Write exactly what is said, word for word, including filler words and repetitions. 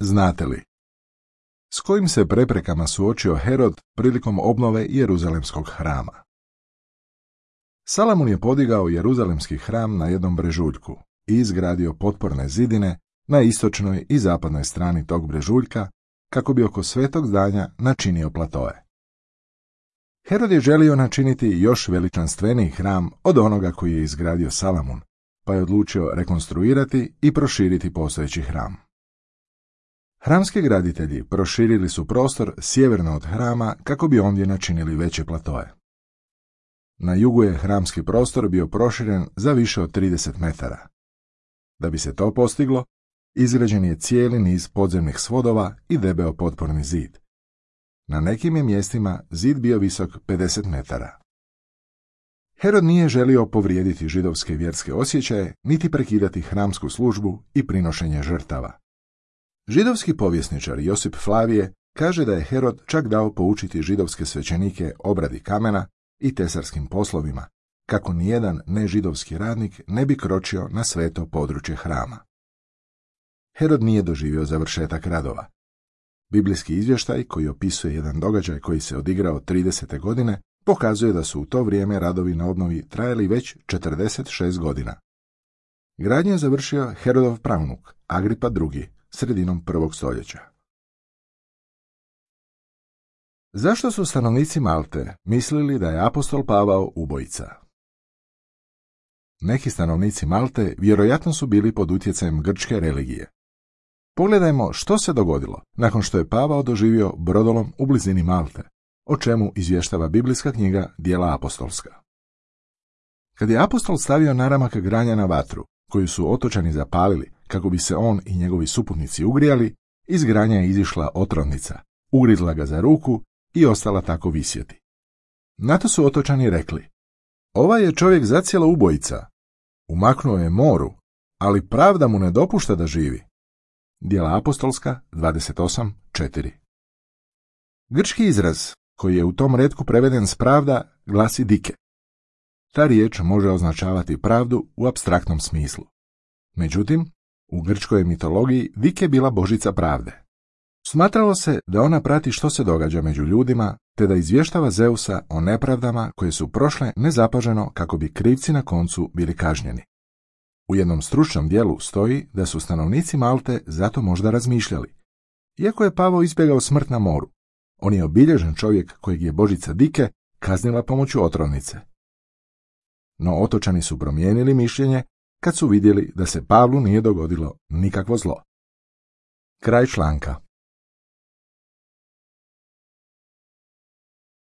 Znate li s kojim se preprekama suočio Herod prilikom obnove Jeruzalemskog hrama? Salamun je podigao Jeruzalemski hram na jednom brežuljku i izgradio potporne zidine na istočnoj i zapadnoj strani tog brežuljka kako bi oko svetog zdanja načinio platoe. Herod je želio načiniti još veličanstveniji hram od onoga koji je izgradio Salamun, pa je odlučio rekonstruirati i proširiti postojeći hram. Hramski graditelji proširili su prostor sjeverno od hrama kako bi ondje načinili veće platoe. Na jugu je hramski prostor bio proširen za više od trideset metara. Da bi se to postiglo, izgrađen je cijeli niz podzemnih svodova i debeo potporni zid. Na nekim je mjestima zid bio visok pedeset metara. Herod nije želio povrijediti židovske vjerske osjećaje, niti prekidati hramsku službu i prinošenje žrtava. Židovski povjesničar Josip Flavije kaže da je Herod čak dao poučiti židovske svećenike obradi kamena i tesarskim poslovima, kako nijedan nežidovski radnik ne bi kročio na sveto područje hrama. Herod nije doživio završetak radova. Biblijski izvještaj koji opisuje jedan događaj koji se odigrao tridesete godine pokazuje da su u to vrijeme radovi na obnovi trajali već četrdeset šest godina. Gradnju je završio Herodov pravnuk, Agripa drugi, sredinom prvog stoljeća. Zašto su stanovnici Malte mislili da je apostol Pavao ubojica? Neki stanovnici Malte vjerojatno su bili pod utjecajem grčke religije. Pogledajmo što se dogodilo nakon što je Pavao doživio brodolom u blizini Malte, o čemu izvještava biblijska knjiga Djela apostolska. Kad je apostol stavio naramak granja na vatru, koju su otočani zapalili kako bi se on i njegovi suputnici ugrijali, iz granja je izišla otrovnica, ugrizla ga za ruku i ostala tako visjeti. Na to su otočani rekli: ovaj je čovjek zacijelo ubojica, umaknuo je moru, ali pravda mu ne dopušta da živi. Djela apostolska dvadeset osam četiri. Grčki izraz koji je u tom retku preveden s pravda glasi dike. Ta riječ može označavati pravdu u apstraktnom smislu. Međutim, u grčkoj mitologiji dike bila božica pravde. Smatralo se da ona prati što se događa među ljudima, te da izvještava Zeusa o nepravdama koje su prošle nezapaženo kako bi krivci na koncu bili kažnjeni. U jednom stručnom dijelu stoji da su stanovnici Malte zato možda razmišljali: iako je Pavao izbjegao smrt na moru, on je obilježen čovjek kojeg je božica dike kaznila pomoću otrovnice. No otočani su promijenili mišljenje kad su vidjeli da se Pavlu nije dogodilo nikakvo zlo. Kraj članka.